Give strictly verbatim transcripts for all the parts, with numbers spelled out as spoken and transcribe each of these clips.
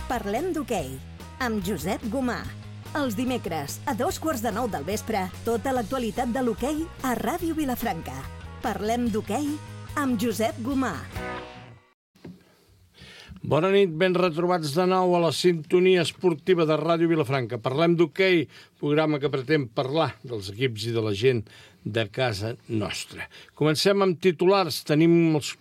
Parlem d'hoquei, amb Josep Gomà. Els dimecres, a dos quarts de nou del vespre, tota l'actualitat de l'hoquei a Ràdio Vilafranca. Parlem d'hoquei amb Josep Gomà. Bona nit, ben retrobats de nou a la sintonia esportiva de Ràdio Vilafranca. Parlem d'hoquei, programa que pretén parlar dels equips i de la gent de casa nostra. Comencem amb titulars. Tenim els,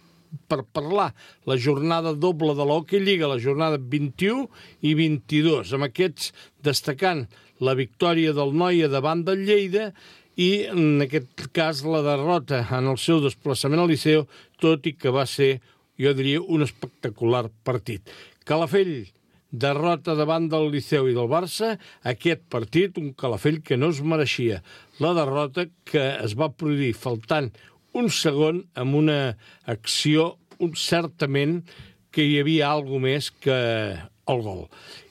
per parlar la jornada doble de l'Hockey Lliga, la jornada vint-i-u i vint-i-dos. Amb aquests destacant la victòria del Noia davant del Lleida i, en aquest cas, la derrota en el seu desplaçament al Liceu, tot i que va ser, jo diria, un espectacular partit. Calafell, derrota davant del Liceu i del Barça. Aquest partit, un Calafell que no es mereixia la derrota, que es va produir faltant un segon amb una acció un, certament que hi havia alguna més que el gol.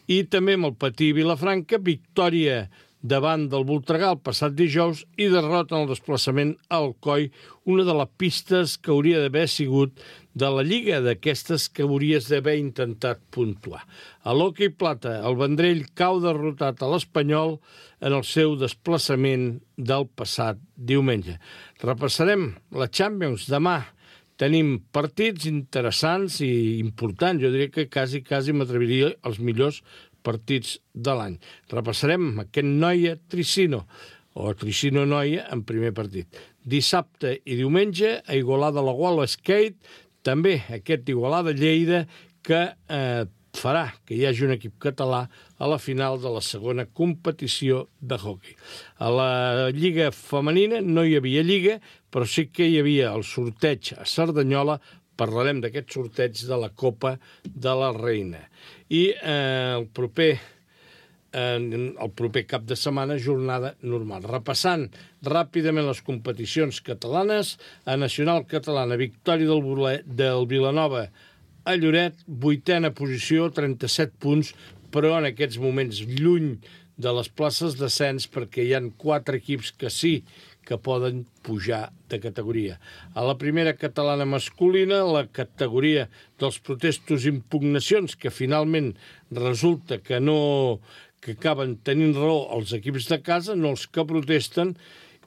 I també amb el Patí Vilafranca, victòria davant del Voltregà el passat dijous i derrota en el desplaçament al Coi, una de les pistes que hauria d'haver sigut de la Lliga, d'aquestes que hauries d'haver intentat puntuar. A l'Hockey Plata, el Vendrell cau derrotat a l'Espanyol en el seu desplaçament del passat diumenge. Repassarem la Champions demà. Tenim partits interessants i importants. Jo diria que quasi, quasi m'atreviria als millors partits de l'any. Repassarem aquest Noia-Tricino, o Tricino-Noia en primer partit. Dissabte i diumenge, a Igualada-la-Gual Skate, també aquest Igualada-Lleida que eh, farà que hi hagi un equip català a la final de la segona competició de hoquei. A la Lliga Femenina no hi havia Lliga, però sí que hi havia el sorteig a Cerdanyola. Parlarem d'aquest sorteig de la Copa de la Reina. I eh, el proper eh, el proper cap de setmana, jornada normal. Repassant ràpidament les competicions catalanes, a Nacional Catalana, victòria del, Bule, del Vilanova a Lloret, vuitena posició, trenta-set punts, però en aquests moments lluny de les places d'ascens perquè hi ha quatre equips que sí que poden pujar de categoria. A la primera catalana masculina, la categoria dels protestos i impugnacions, que finalment resulta que no que acaben tenint raó els equips de casa, no els que protesten,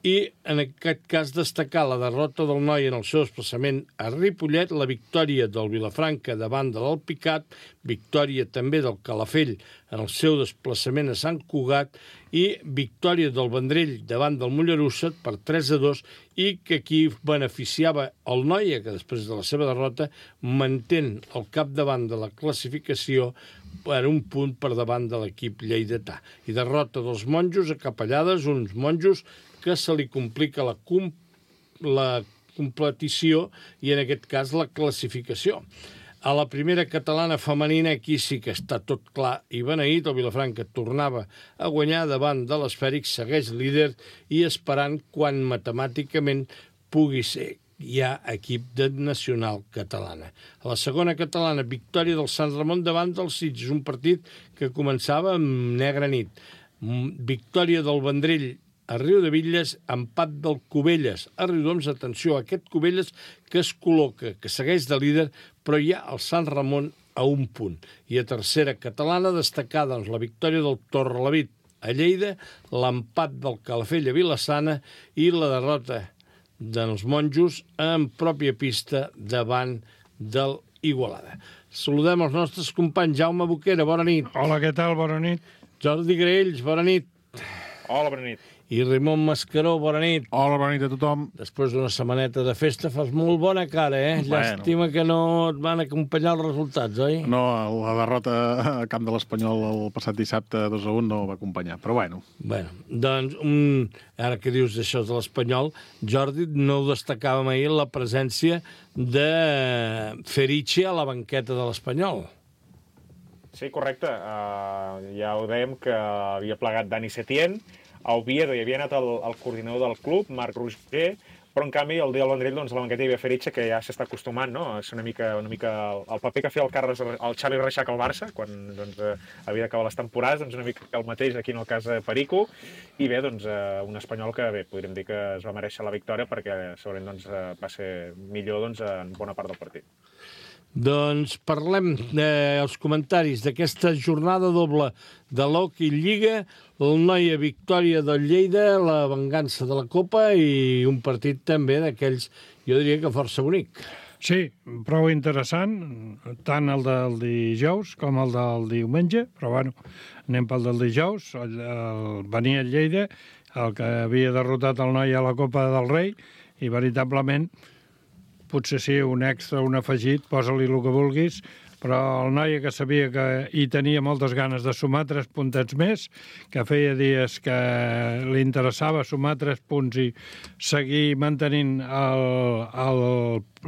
i en aquest cas destacar la derrota del Noia en el seu desplaçament a Ripollet, la victòria del Vilafranca davant de l'Alpicat, victòria també del Calafell en el seu desplaçament a Sant Cugat i victòria del Vendrell davant del Mollerussa per tres a dos i que aquí beneficiava el Noia, que després de la seva derrota mantén el capdavant de la classificació per un punt per davant de l'equip lleidatà. I derrota dels monjos a Capellades, uns monjos que se li complica la, com, la competició i, en aquest cas, la classificació. A la primera catalana femenina, aquí sí que està tot clar i beneït. El Vilafranca tornava a guanyar davant de l'Esfèric, segueix líder i esperant quan matemàticament pugui ser ja equip de Nacional Catalana. A la segona catalana, victòria del Sant Ramon davant del Sitges, un partit que començava amb negra nit. Victòria del Vendrell a Riudebitlles, empat del Cubelles a Riudoms. Atenció, aquest Cubelles que es col·loca, que segueix de líder, però hi ha el Sant Ramon a un punt. I a tercera catalana, destacada doncs, la victòria del Torrelavit a Lleida, l'empat del Calafell a Vilassana i la derrota dels monjos en pròpia pista davant del Igualada. Saludem els nostres companys. Jaume Boquera, bona nit. Hola, què tal? Bona nit. Jordi Graells, bona nit. Hola, bona nit. I Raimon Mascaró, bona nit. Hola, bona nit a tothom. Després d'una setmaneta de festa fas molt bona cara, eh? Bueno. Llàstima que no et van acompanyar els resultats, oi? No, la derrota a camp de l'Espanyol el passat dissabte dos a un no va acompanyar, però bueno. Bueno, doncs, un... ara que dius d'això de l'Espanyol, Jordi, no destacàvem ahir la presència de Ferici a la banqueta de l'Espanyol. Sí, correcte. Uh, ja ho dèiem que havia plegat Dani Setién. A Oviedo hi havia anat el, el coordinador del club, Marc Roger, però en canvi el dia del Vendrell, doncs, a la banqueta hi havia Ferici, que ja s'està acostumant, no? És una mica, una mica el, el paper que feia el, Carles, el Xavi Reixac al Barça, quan doncs, eh, havia d'acabar les temporades, doncs una mica el mateix aquí en el cas de Perico, i bé, doncs, eh, un espanyol que bé, podríem dir que es va mereixer la victòria perquè segurament doncs, eh, va ser millor doncs, en bona part del partit. Doncs parlem dels comentaris d'aquesta jornada doble de l'Hockey Lliga, el Noia victòria del Lleida, la vengança de la Copa i un partit també d'aquells, jo diria que força bonic. Sí, prou interessant, tant el del dijous com el del diumenge, però bueno, anem pel del dijous, el, el, venia el Lleida, el que havia derrotat el Noia a la Copa del Rei, i veritablement potser sí, un extra, un afegit, posa-li el que vulguis, però el Noia que sabia que hi tenia moltes ganes de sumar tres puntets més, que feia dies que li interessava sumar tres punts i seguir mantenint el, el,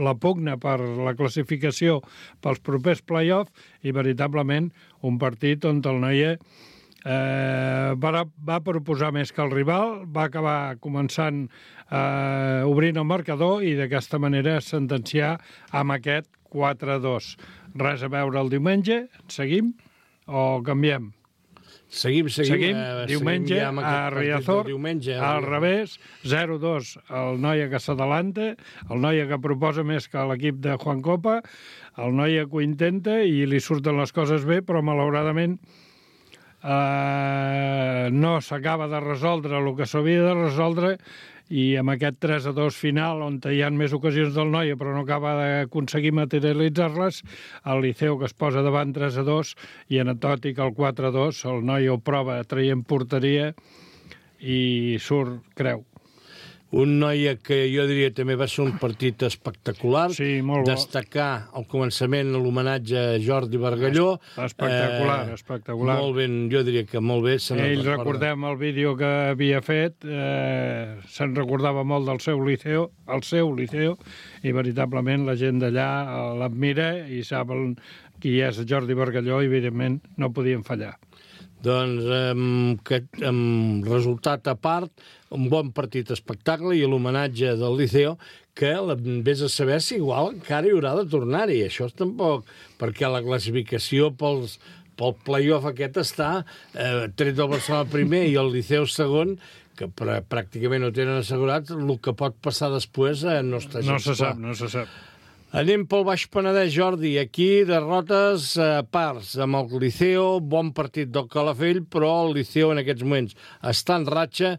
la pugna per la classificació pels propers play-off, i veritablement un partit on el Noia Eh, va, va proposar més que el rival, va acabar començant eh, obrint el marcador i d'aquesta manera sentenciar amb aquest quatre a dos. Res a veure el diumenge, seguim o canviem? Seguim, seguim. Seguim, eh, diumenge seguim ja a Riazor, diumenge, al revés, zero a dos el Noia que s'adalanta, el Noia que proposa més que l'equip de Juan Copa, el Noia que ho intenta i li surten les coses bé, però malauradament Uh, no s'acaba de resoldre el que s'havia de resoldre, i amb aquest tres a dos final, on hi ha més ocasions del Noia però no acaba d'aconseguir materialitzar-les, el Liceu que es posa davant tres a dos, i anecdòtic el quatre a dos, el Noia ho prova traient porteria i surt creu. Un Noia que jo diria també va ser un partit espectacular. Sí, molt bo. Destacar al començament l'homenatge a Jordi Bargalló. Espectacular, eh, espectacular. Molt ben, jo diria que molt bé. Ell, recordem el vídeo que havia fet, eh, se'n recordava molt del seu liceu, el seu liceu, i veritablement la gent d'allà l'admira i sap el, qui és Jordi Bargalló, i evidentment no podien fallar. Doncs, amb, que, amb resultat a part, un bon partit espectacle i l'homenatge del Liceo, que vés a saber si igual encara hi haurà de tornar-hi. Això tampoc, perquè la classificació pels, pel play-off aquest està eh, tret del Barcelona primer i el Liceu segon, que pr pràcticament ho tenen assegurat, el que pot passar després eh, no està gens No se clar. sap, no se sap. Anem pel Baix Penedès, Jordi. Aquí derrotes a parts amb el Liceo, bon partit del Calafell, però el Liceo en aquests moments està en ratxa,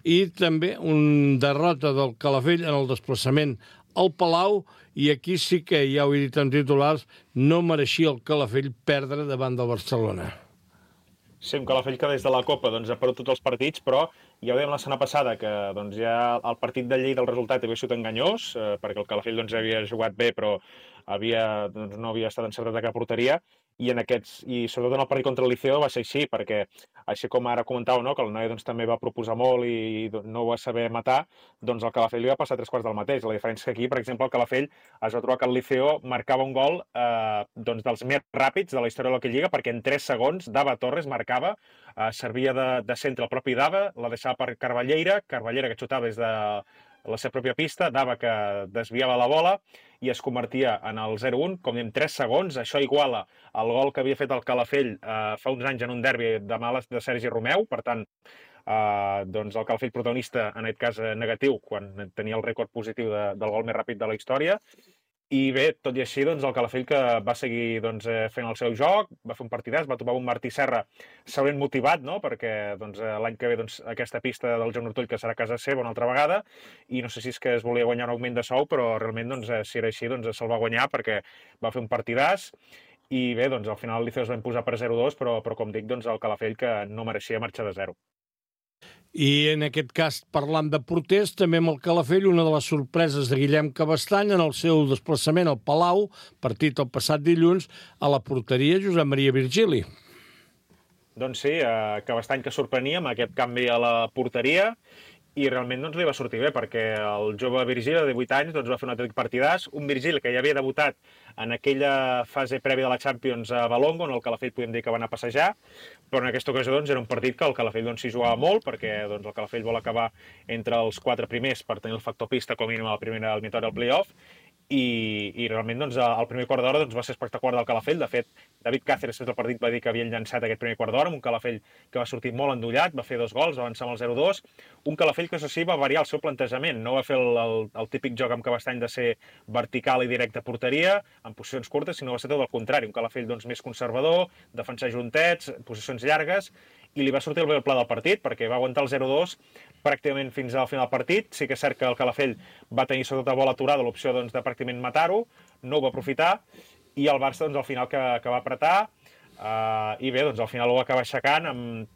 i també un derrota del Calafell en el desplaçament al Palau, i aquí sí que, ja ho he dit en titulars, no mereixia el Calafell perdre davant del Barcelona. Sí, un Calafell que des de la Copa doncs, ha perdut tots els partits, però ja ho dèiem la setmana passada, que doncs, ja el partit de Lleida, el resultat havia sigut enganyós, eh, perquè el Calafell doncs, havia jugat bé, però havia, doncs, no havia estat encertat a cap porteria, i, en aquests, i sobretot en el partit contra el Liceo va ser així, perquè així com ara comentàveu, no, que el Noia doncs, també va proposar molt i doncs, no ho va saber matar, doncs el Calafell li va passar tres quarts del mateix. La diferència que aquí, per exemple, el Calafell es va trobar que el Liceo marcava un gol eh, doncs, dels més ràpids de la història de l'Hockey Lliga, perquè en tres segons Dava Torres marcava, eh, servia de, de centre el propi Dava, la deixava per Carballeira, Carballeira que xutava des de la seva pròpia pista, Dava que desviava la bola i es convertia en el zero a un, com diem, tres segons. Això iguala el gol que havia fet el Calafell eh, fa uns anys en un derbi de males de Sergi Romeu. Per tant, eh, doncs el Calafell protagonista, en aquest cas negatiu, quan tenia el rècord positiu de, del gol més ràpid de la història. I bé, tot i així, doncs, el Calafell que va seguir doncs, fent el seu joc, va fer un partidàs, va trobar un Martí Serra segurament motivat, no? Perquè doncs, l'any que ve doncs, aquesta pista del Joan Ortull, que serà a casa seva una altra vegada, i no sé si és que es volia guanyar un augment de sou, però realment, doncs, si era així, doncs, se'l va guanyar perquè va fer un partidàs. I bé, doncs, al final el Liceu es va imposar per zero a dos, però, però com dic, doncs, el Calafell que no mereixia marxar de zero. I en aquest cas, parlant de porters, també amb el Calafell, una de les sorpreses de Guillem Cabestany en el seu desplaçament al Palau, partit el passat dilluns, a la porteria Josep Maria Virgili. Doncs sí, eh, Cabestany que sorprenia amb aquest canvi a la porteria, i realment doncs, li va sortir bé, perquè el jove Virgili, de divuit anys, doncs, va fer un autèntic partidàs, un Virgili que ja havia debutat en aquella fase prèvia de la Champions a Valongo, on el Calafell podem dir que va anar a passejar, però en aquesta ocasió doncs, era un partit que el Calafell doncs, s'hi jugava molt, perquè doncs, el Calafell vol acabar entre els quatre primers per tenir el factor pista com a mínim a la primera eliminatòria del play-off, i, i realment doncs, el primer quart d'hora doncs, va ser espectacular del Calafell. De fet, David Cáceres després del partit va dir que havien llançat aquest primer quart d'hora amb un Calafell que va sortir molt endollat, va fer dos gols, va avançar amb el zero dos. Un Calafell que, això sí, va variar el seu plantejament. No va fer el, el, el típic joc amb Cabestany de ser vertical i directe a porteria, en posicions curtes, sinó va ser tot el contrari. Un Calafell doncs, més conservador, defensar juntets, posicions llargues, i li va sortir el bé el pla del partit, perquè va aguantar el zero dos pràcticament fins al final del partit. Sí que és cert que el Calafell va tenir sobretot a bola aturada l'opció doncs, de pràcticament matar-ho, no ho va aprofitar, i el Barça doncs, al final que, que va apretar, uh, i bé, doncs, al final ho va acabar aixecant amb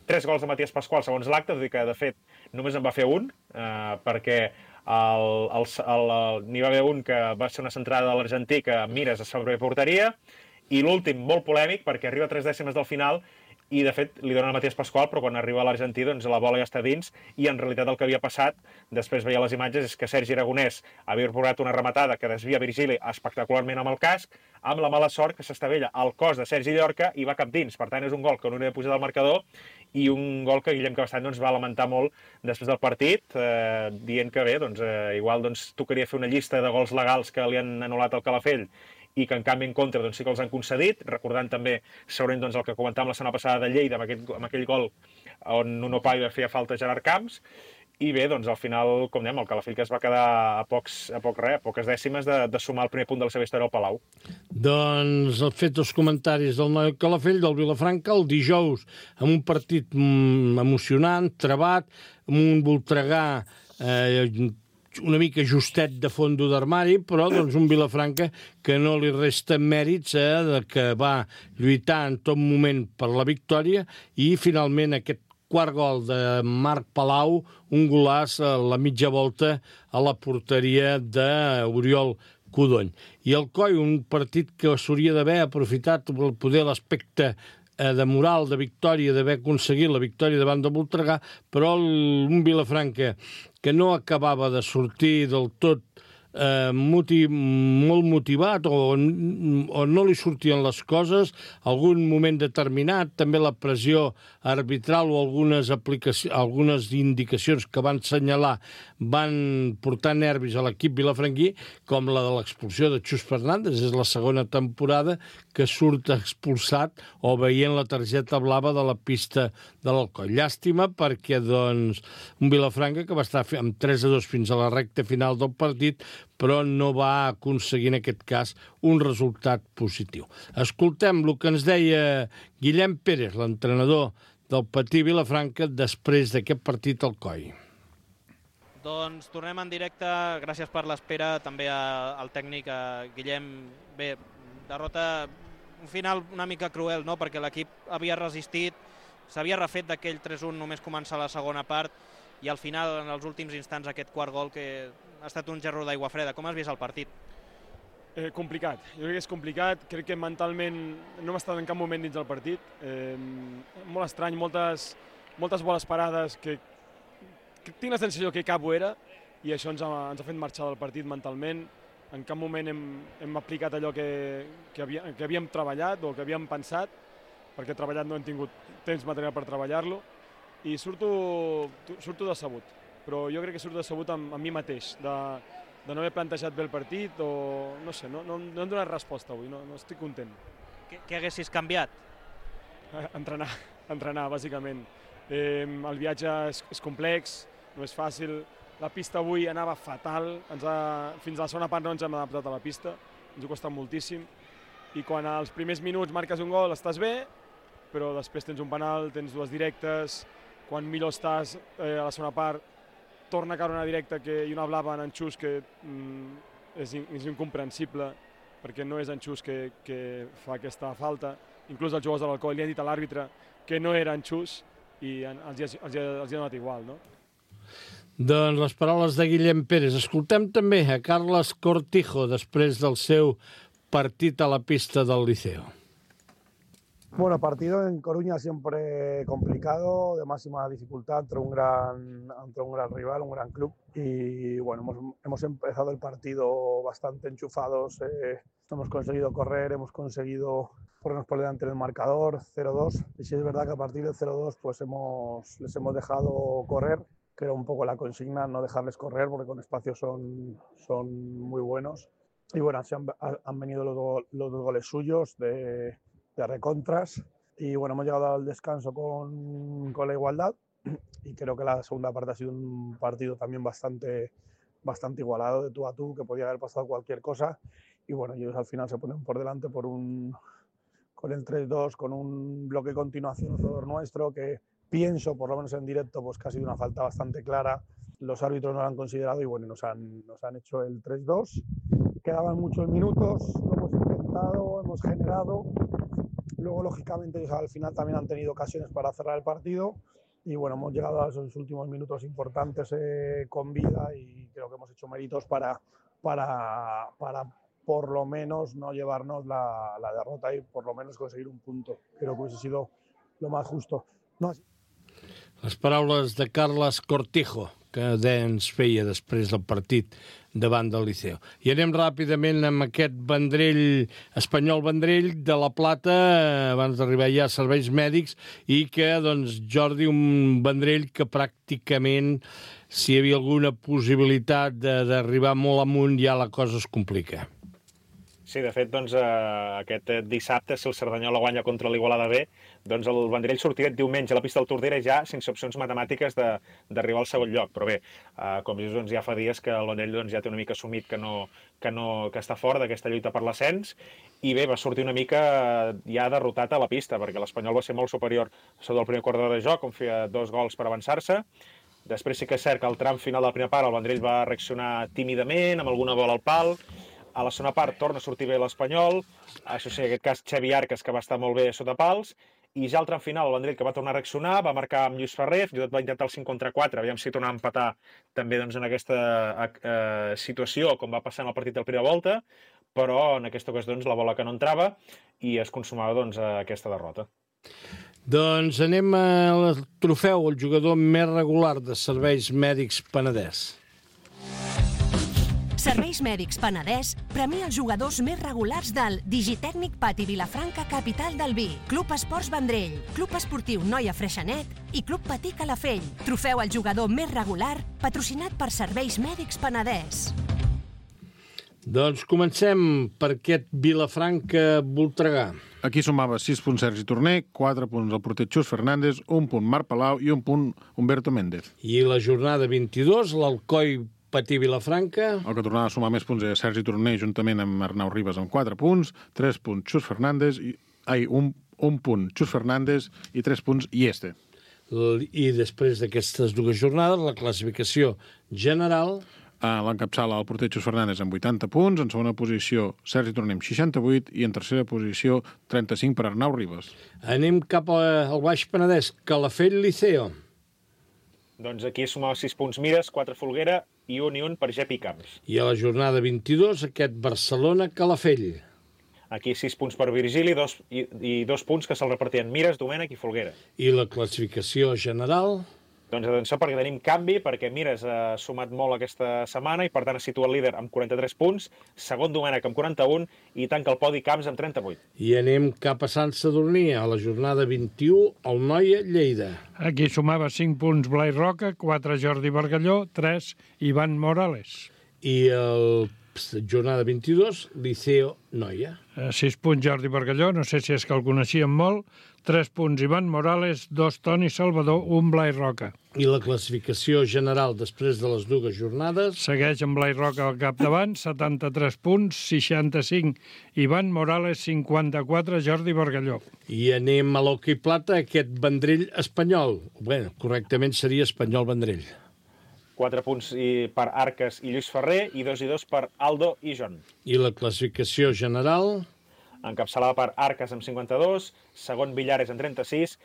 tres gols de Matías Pascual segons l'acte, tot i que de fet només en va fer un, uh, perquè el, el, el, el, n'hi va haver un que va ser una centrada de l'argentí que mires a sobre porteria, i l'últim molt polèmic perquè arriba a tres dècimes del final i de fet li donen a Matías Pascual, però quan arriba a l'argentí doncs la bola ja està dins, i en realitat el que havia passat, després veia les imatges, és que Sergi Aragonès havia provocat una rematada que desvia Virgili espectacularment amb el casc, amb la mala sort que s'estavella al cos de Sergi Llorca i va cap dins. Per tant, és un gol que no hauria pujat al marcador i un gol que Guillem Cabestany doncs, va lamentar molt després del partit, eh, dient que bé, doncs, eh, igual doncs, tocaria fer una llista de gols legals que li han anul·lat al Calafell i que en canvi en contra doncs, sí que els han concedit, recordant també segurament doncs, el que comentàvem la setmana passada de Lleida amb, aquest, amb aquell gol on Nuno Paiva feia falta a Gerard Camps, i bé, doncs al final, com dèiem, el Calafell que es va quedar a, pocs, a, poc res, a poques dècimes de, de sumar el primer punt de la seva història al Palau. Doncs he fet els comentaris del noi Calafell, del Vilafranca, el dijous, amb un partit mm, emocionant, trebat, amb un Voltregà eh, una mica justet de fondo d'armari, però doncs, un Vilafranca que no li resta mèrits, eh, de que va lluitar en tot moment per la victòria, i finalment aquest quart gol de Marc Palau, un golaç a la mitja volta a la porteria d'Oriol Codony. I el Coi, un partit que s'hauria d'haver aprofitat per poder l'aspecte de moral, de victòria, d'haver aconseguit la victòria davant de Voltregà, però un Vilafranca que no acabava de sortir del tot eh, motiv, molt motivat o, o no li sortien les coses, algun moment determinat, també la pressió arbitral o algunes, aplicacions, algunes indicacions que van assenyalar van portar nervis a l'equip vilafranquí, com la de l'expulsió de Xus Fernández. És la segona temporada que surt expulsat o veient la targeta blava de la pista de l'Alcoi. Llàstima perquè doncs, un Vilafranca que va estar amb tres a dos fins a la recta final del partit, però no va aconseguir en aquest cas un resultat positiu. Escoltem el que ens deia Guillem Pérez, l'entrenador del Patí Vilafranca, després d'aquest partit al Coi. Doncs tornem en directe, gràcies per l'espera, també a, al tècnic, a Guillem. Bé, derrota, un final una mica cruel, no?, perquè l'equip havia resistit, s'havia refet d'aquell tres un només començar la segona part, i al final, en els últims instants, aquest quart gol que ha estat un gerro d'aigua freda. Com has vist el partit? Eh, complicat, jo crec que és complicat, crec que mentalment no hem estat en cap moment dins del partit, eh, molt estrany, moltes, moltes boles parades que, que tinc la sensació que cap ho era, i això ens ha, ens ha fet marxar del partit mentalment. En cap moment hem, hem aplicat allò que, que, havia, que havíem treballat o que havíem pensat, perquè treballat no hem tingut temps material per treballar-lo, i surto, surto decebut, però jo crec que surto decebut amb, amb mi mateix, de, de no haver plantejat bé el partit, o no sé, no, no, no hem donat resposta avui, no, no estic content. Què, què haguessis canviat? Entrenar, entrenar, bàsicament. Eh, el viatge és, és complex, no és fàcil, la pista avui anava fatal, ens ha, fins a la segona part no ens hem adaptat a la pista, ens ha costat moltíssim, i quan als primers minuts marques un gol estàs bé, però després tens un penal, tens dues directes, quan millor estàs eh, a la segona part, torna a caure una directa que, i una blava en Xus que mm, és, in, és incomprensible, perquè no és en Xus que, que fa aquesta falta. Inclús els jugadors de l'Alcoi li han dit a l'àrbitre que no era en Xus i en, els, els, els, els ha donat igual, no? Doncs les paraules de Guillem Pérez. Escoltem també a Carles Cortijo després del seu partit a la pista del Liceo. Bueno, partido en Coruña siempre complicado, de máxima dificultad entre un gran, entre un gran rival, un gran club. Y bueno, hemos, hemos empezado el partido bastante enchufados, eh, hemos conseguido correr, hemos conseguido ponernos por delante del marcador, cero dos. Y sí es verdad que a partir del cero dos pues hemos, les hemos dejado correr, que era un poco la consigna, no dejarles correr porque con espacio son, son muy buenos. y bueno, se han, han venido los, do, los dos goles suyos de, de recontras y bueno, hemos llegado al descanso con, con la igualdad y creo que la segunda parte ha sido un partido también bastante, bastante igualado, de tú a tú, que podía haber pasado cualquier cosa y bueno, ellos al final se ponen por delante por un, con el tres dos, con un bloque de continuación a favor nuestro que pienso, por lo menos en directo, pues que ha sido una falta bastante clara. Los árbitros no lo han considerado y bueno, nos han, nos han hecho el tres dos. Quedaban muchos minutos, lo hemos intentado, hemos generado. Luego, lógicamente, ellos al final también han tenido ocasiones para cerrar el partido. Y bueno, hemos llegado a esos últimos minutos importantes eh, con vida y creo que hemos hecho méritos para, para, para por lo menos no llevarnos la, la derrota y por lo menos conseguir un punto. Creo que hubiese sido lo más justo. No, Les paraules de Carles Cortijo, que ens feia després del partit davant del Liceo. I anem ràpidament amb aquest Vendrell, Espanyol Vendrell de la Plata, abans d'arribar ja a serveis mèdics, i que, doncs, Jordi, un Vendrell que pràcticament, si hi havia alguna possibilitat d'arribar molt amunt, ja la cosa es complica. Sí, de fet, doncs, eh, aquest dissabte, si el Cerdanyola guanya contra l'Igualada B, doncs el Vendrell sortirà diumenge a la pista del Tordera ja sense opcions matemàtiques d'arribar al segon lloc. Però bé, eh, com dius, doncs, ja fa dies que el Vendrell doncs, ja té una mica assumit que, no, que, no, que està fora d'aquesta lluita per l'ascens i bé, va sortir una mica ja derrotat a la pista, perquè l'Espanyol va ser molt superior sota el primer quart d'hora de joc, on feia dos gols per avançar-se. Després sí que és cert que al tram final de la primera part el Vendrell va reaccionar tímidament, amb alguna bola al pal. A la segona part torna a sortir bé l'Espanyol, això sí, en aquest cas Xavi Arcas, que va estar molt bé sota pals, i ja al tram final el Vendrell que va tornar a reaccionar, va marcar amb Lluís Ferrer, fins i tot va intentar el cinc contra quatre, aviam si tornava a empatar també doncs, en aquesta eh, situació, com va passar en el partit de la primera volta, però en aquesta ocasió doncs, la bola que no entrava i es consumava doncs, aquesta derrota. Doncs anem al trofeu, el jugador més regular de Serveis Mèdics Penedès. Serveis Mèdics Penedès premia els jugadors més regulars del Digitècnic Pati Vilafranca, capital del vi, Club Esports Vendrell, Club Esportiu Noia Freixenet i Club Patí Calafell. Trofeu al jugador més regular, patrocinat per Serveis Mèdics Penedès. Doncs comencem per aquest Vilafranca-Voltregà. Aquí sumava sis punts Sergi Torner, quatre punts el porter Xus Fernández, un punt Marc Palau i un punt Humberto Méndez. I la jornada vint-i-dos, l'Alcoi Patí Vilafranca. El que tornava a sumar més punts era Sergi Torner, juntament amb Arnau Ribas, amb quatre punts, tres punts Xus Fernández, i, ai, un, un punt Xus Fernández i tres punts Ieste. I després d'aquestes dues jornades, la classificació general... Ah, l'encapçala el porter Xus Fernández amb vuitanta punts, en segona posició Sergi Torner amb seixanta-vuit i en tercera posició trenta-cinc per Arnau Ribas. Anem cap al Baix Penedès, Calafell Liceo. Doncs aquí sumava sis punts Mires, quatre Folguera i un i un per Gepi Camps. I a la jornada vint-i-dos, aquest Barcelona-Calafell. Aquí sis punts per Virgili dos, i, i dos punts que se'l repartien Mires, Domènech i Folguera. I la classificació general... Doncs atenció, perquè tenim canvi, perquè Mires ha sumat molt aquesta setmana i per tant es situa el líder amb quaranta-tres punts, segon Domènech amb quaranta-un i tanca el podi Camps amb trenta-vuit. I anem cap a Sant Sadurní, a la jornada vint-i-u, el Noia Lleida. Aquí sumava cinc punts Blai Roca, quatre Jordi Bargalló, tres Ivan Morales. I el jornada vint-i-dos, Liceo Noia. sis punts Jordi Bargalló, no sé si és que el coneixíem molt, tres punts Ivan Morales, dos Toni Salvador, un Blai Roca. I la classificació general després de les dues jornades... Segueix amb Blai Roca al capdavant, setanta-tres punts, seixanta-cinc Ivan Morales, cinquanta-quatre Jordi Bargalló. I anem a l'hoquei plata, aquest Vendrell espanyol. Bé, correctament seria Espanyol Vendrell. Quatre punts per Arcas i Lluís Ferrer i dos i dos per Aldo i Jon. I la classificació general... Encapçalada per Arcas amb cinquanta-dos, segon Villares amb trenta-sis,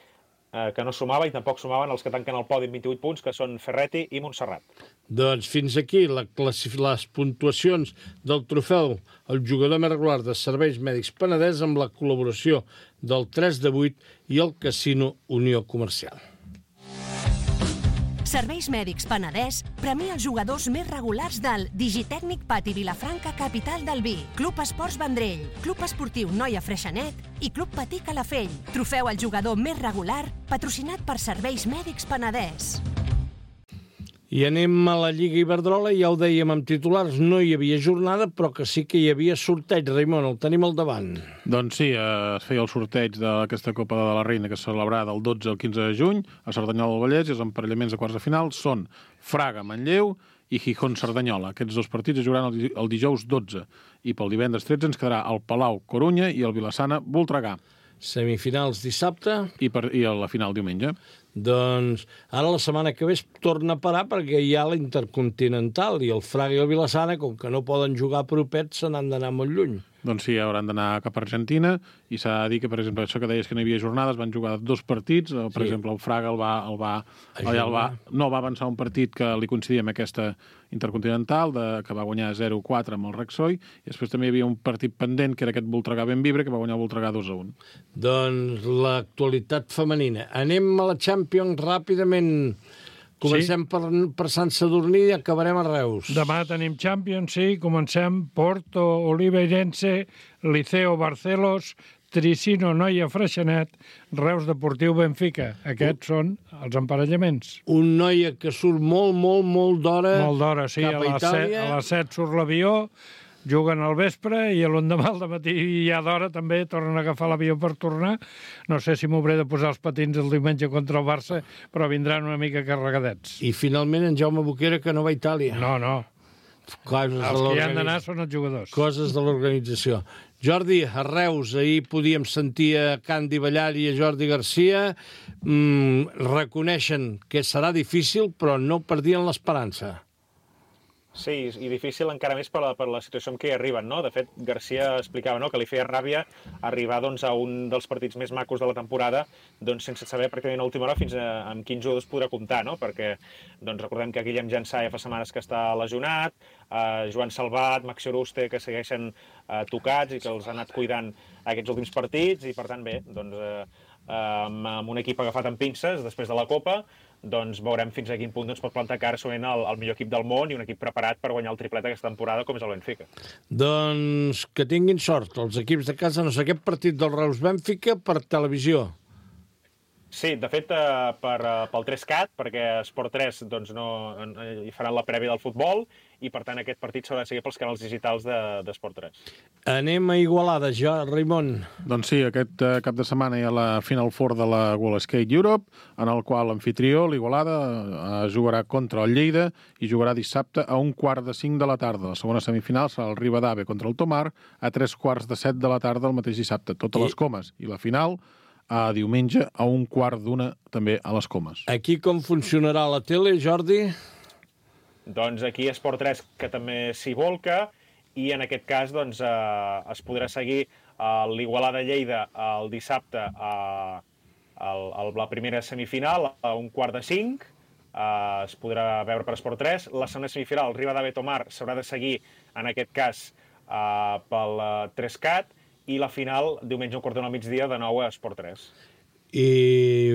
eh, que no sumava i tampoc sumaven els que tanquen el podi amb vint-i-vuit punts, que són Ferretti i Montserrat. Doncs fins aquí la les puntuacions del trofeu el jugador més regular de Serveis Mèdics Penedès amb la col·laboració del tres de vuit i el Casino Unió Comercial. Serveis Mèdics Penedès premia els jugadors més regulars del Digitècnic Pati Vilafranca, capital del vi, Club Esports Vendrell, Club Esportiu Noia Freixenet i Club Patí Calafell. Trofeu al jugador més regular, patrocinat per Serveis Mèdics Penedès. I anem a la Lliga Iberdrola, ja ho dèiem amb titulars, no hi havia jornada, però que sí que hi havia sorteig. Raimon, el tenim al davant. Doncs sí, eh, es feia el sorteig d'aquesta Copa de la Reina que es celebrarà del dotze al quinze de juny a Cerdanyola del Vallès, i els emparellaments de quarts de final són Fraga-Manlleu i Gijón-Cerdanyola. Aquests dos partits es jugaran el, el dijous dotze, i pel divendres tretze ens quedarà el Palau-Corunya i el Vilassana-Voltregà. Semifinals dissabte. I, per, I la final diumenge. Doncs ara la setmana que ve es torna a parar perquè hi ha la Intercontinental i el Fraga i el Vilassana, com que no poden jugar propets, se n'han d'anar molt lluny. Doncs sí, hauran d'anar cap a Argentina, i s'ha de dir que, per exemple, això que deies que no hi havia jornades, van jugar dos partits, per sí. exemple, el Fraga el va, el va, el va, no va avançar un partit que li coincidia amb aquesta Intercontinental, de, que va guanyar zero a quatre amb el Rexoi, i després també hi havia un partit pendent, que era aquest Voltregà-Benvibre, que va guanyar el Voltregà dos a un. Doncs l'actualitat femenina. Anem a la Champions ràpidament. Comencem sí. per, per Sant Sadurní i acabarem a Reus. Demà tenim Champions, sí. Comencem Porto, Oliveirense, Liceo, Barcelos, Tricino, Noia, Freixenet, Reus Deportiu, Benfica. Aquests són els emparellaments. Un Noia que surt molt, molt, molt d'hora Molt d'hora, sí. cap a, a, Itàlia. set, a les set surt l'avió, juguen al vespre i l'endemà al matí ja d'hora també tornen a agafar l'avió per tornar. No sé si m'hauré de posar els patins el diumenge contra el Barça, però vindran una mica carregadets. I finalment en Jaume Boquera, que no va a Itàlia. No, no. Coses els que hi han d'anar són els jugadors. Coses de l'organització. Jordi, a Reus, ahir podíem sentir a Candy Ballar i a Jordi Garcia, mm, reconeixen que serà difícil, però no perdien l'esperança. Sí, i difícil encara més per la, per la situació en què hi arriben, no? De fet, Garcia explicava, no?, que li feia ràbia arribar doncs, a un dels partits més macos de la temporada doncs, sense saber pràcticament a última hora fins a, amb quins jugadors podrà comptar, no? Perquè doncs, recordem que Guillem Jansà ja fa setmanes que està lesionat, eh, Joan Salvat, Maxi Oruste, que segueixen eh, tocats i que els ha anat cuidant aquests últims partits, i per tant, bé, doncs, eh, amb, amb un equip agafat amb pinces després de la Copa, doncs veurem fins a quin punt doncs, pot plantar cara solament el, el millor equip del món i un equip preparat per guanyar el triplet aquesta temporada, com és el Benfica. Doncs que tinguin sort els equips de casa. No sé, aquest partit del Reus-Benfica per televisió. Sí, de fet, eh, per, eh, pel tres cat, perquè Esport tres doncs, no, hi faran la prèvia del futbol, i per tant aquest partit s'haurà de seguir pels canals digitals d'Esport tres. Anem a Igualada, ja, Raimon. Doncs sí, aquest eh, cap de setmana hi ha la Final Four de la World Skate Europe, en el qual l'anfitrió, l'Igualada, eh, jugarà contra el Lleida i jugarà dissabte a un quart de cinc de la tarda. La segona semifinal serà el Ribadave contra el Tomar a tres quarts de set de la tarda el mateix dissabte, totes I... les comes. I la final a diumenge a un quart d'una també a les comes. Aquí com funcionarà la tele, Jordi? Doncs aquí Esport tres, que també s'hi volca, i en aquest cas doncs, eh, es podrà seguir eh, l'Igualada-Lleida el dissabte a, a, a la primera semifinal a un quart de cinc, eh, es podrà veure per Esport tres. La segona semifinal, el Ribadave-Tomar, s'haurà de seguir en aquest cas eh, pel eh, tres cat, i la final, diumenge un quart d'una al migdia, de nou a Esport tres. I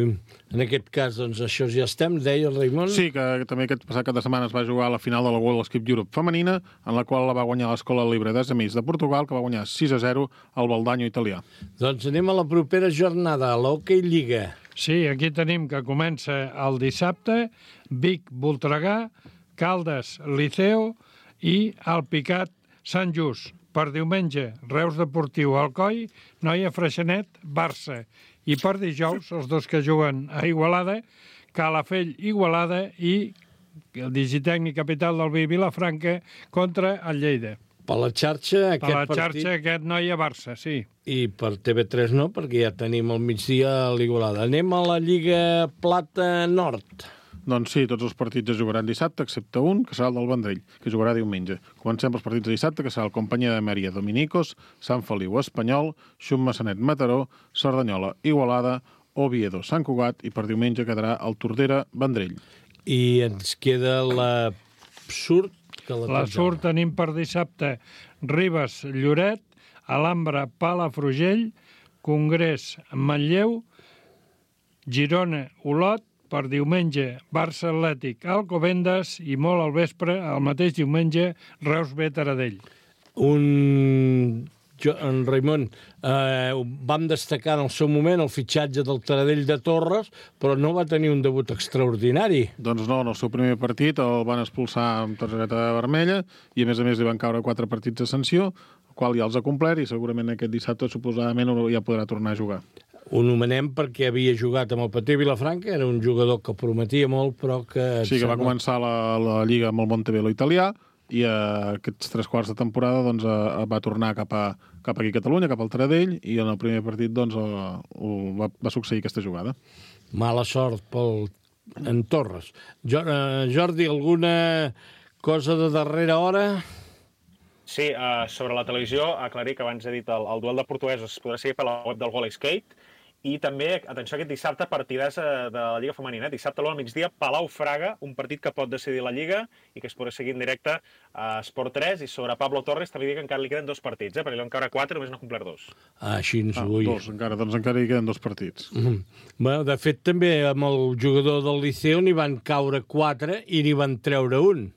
en aquest cas, doncs, això ja estem, deia el Raimon. Sí, que també aquest passat cap de setmana es va jugar a la final de la World Skate Europe femenina, en la qual la va guanyar l'Escola Libre d'Amis de Portugal, que va guanyar sis a zero al Baldanyo italià. Doncs anem a la propera jornada, a l'Hockey Lliga. Sí, aquí tenim que comença el dissabte, Vic-Voltregà, Caldes-Liceo i Alpicat Sant Just. Per diumenge, Reus Deportiu Alcoi, Noia Freixenet, Barça. I per dijous, els dos que juguen a Igualada, Calafell Igualada i el Digitècnic Capital del Vi Vilafranca contra el Lleida. Per la xarxa, aquest partit... Per la xarxa, partit... aquest Noia Barça, sí. I per T V tres no, perquè ja tenim al migdia a l'Igualada. Anem a la Lliga Plata Nord. Doncs sí, tots els partits es jugaran dissabte, excepte un, que serà el del Vendrell, que jugarà diumenge. Comencem els partits de dissabte, que serà el Companyia de Mèria Dominicos, Sant Feliu Espanyol, Xum Massanet Mataró, Cerdanyola Igualada, Oviedo Sant Cugat, i per diumenge quedarà el Tordera Vendrell. I ens queda la Surt. La Surt tenim per dissabte Ribes Lloret, Alhambra Palafrugell, Congrés Manlleu, Girona Olot, per diumenge, Barça Atlètic, Alcobendas, i molt al vespre, el mateix diumenge, Reus B Taradell. Un Jo, en Raimon, eh, vam destacar en el seu moment el fitxatge del Taradell de Torres, però no va tenir un debut extraordinari. Doncs no, en el seu primer partit el van expulsar amb targeta vermella i a més a més li van caure quatre partits de sanció, el qual ja els ha complert i segurament aquest dissabte suposadament ja podrà tornar a jugar. Ho nomenem perquè havia jugat amb el Patí Vilafranca, era un jugador que prometia molt, però que... Sí, que va començar la, la Lliga amb el Montebello italià, i uh, aquests tres quarts de temporada doncs, uh, va tornar cap, a, cap aquí a Catalunya, cap al Taradell, i en el primer partit doncs, uh, uh, va, va succeir aquesta jugada. Mala sort pel en Torres. Jo, uh, Jordi, alguna cosa de darrera hora? Sí, uh, sobre la televisió, aclarir que abans he dit el, el duel de portuguesos es podrà seguir per la web del Goal Skate. I també, atenció, aquest dissabte, partidàs de la Lliga Femenina. Dissabte a l'una al migdia, Palau-Fraga, un partit que pot decidir la Lliga i que es podrà seguir en directe a Esport tres. I sobre Pablo Torres també dic que encara li queden dos partits, eh? perquè li van caure quatre, només n'ha complert dos. Ah, així ens ah, vull. Dos, encara, doncs encara hi queden dos partits. Mm -hmm. Bueno, de fet, també amb el jugador del Liceu n'hi van caure quatre i n'hi van treure un.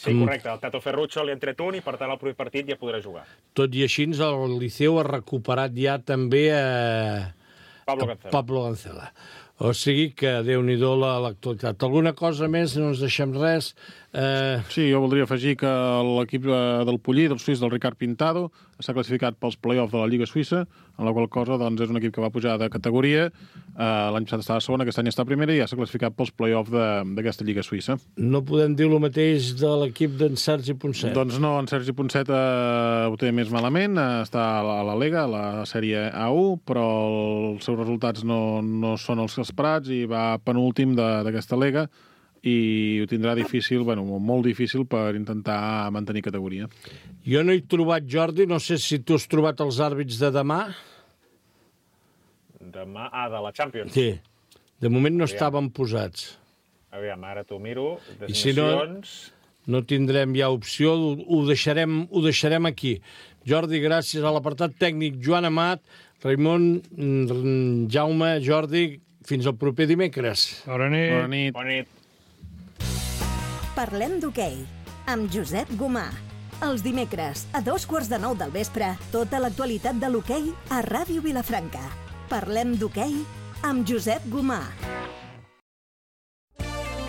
Sí, correcte. El Tato Ferruccio li han tret un i, per tant, el proper partit ja podrà jugar. Tot i així, el Liceu ha recuperat ja també a Pablo Cancela. Pablo Cancela. O sigui que, Déu-n'hi-do, l'actualitat. Alguna cosa més? No ens deixem res? Eh... Sí, jo voldria afegir que l'equip del Pollí, del suís, del Ricard Pintado, s'ha classificat pels play-offs de la Lliga Suïssa, en la qual cosa doncs, és un equip que va pujar de categoria. Eh, L'any passat estava segona, aquest any està primera i ja s'ha classificat pels play-offs d'aquesta Lliga Suïssa. No podem dir el mateix de l'equip d'en Sergi Ponset? Doncs no, en Sergi Ponset eh, ho té més malament, eh, està a la, a la Lega, a la sèrie A u, però els seus resultats no, no són els esperats i va penúltim d'aquesta Lega, i ho tindrà difícil, bueno, molt difícil per intentar mantenir categoria. Jo no he trobat, Jordi, no sé si tu has trobat els àrbits de demà. Demà, ah, de la Champions. Sí, de moment no Aviam. estaven posats. Aviam, ara t'ho miro. I si no, no tindrem ja opció, ho, ho, deixarem, ho deixarem aquí. Jordi, gràcies a l'apartat tècnic Joan Amat, Raimon, Jaume, Jordi, fins al proper dimecres. Bona nit. Bona nit. Bona nit. Parlem d'hoquei, amb Josep Gomà. Els dimecres, a dos quarts de nou del vespre, tota l'actualitat de l'hoquei a Ràdio Vilafranca. Parlem d'hoquei amb Josep Gomà.